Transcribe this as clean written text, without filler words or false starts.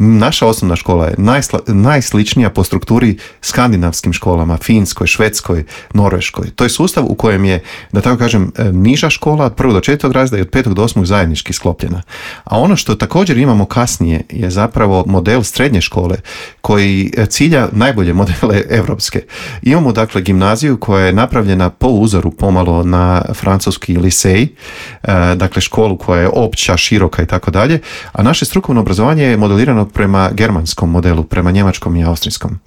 Naša osnovna škola je najsličnija po strukturi skandinavskim školama, Finskoj, Švedskoj, Norveškoj. To je sustav u kojem je, da tako kažem, niža škola od 1. do 4. razreda i od 5. do 8. zajednički sklopljena. A ono što također imamo kasnije je zapravo model srednje škole koji cilja najbolje modele evropske. Imamo dakle gimnaziju koja je napravljena po uzoru pomalo na francuski lisej, dakle školu koja je opća, široka i tako dalje, a naše strukovno obrazovanje je modelirano prema germanskom modelu, prema njemačkom i austrijskom.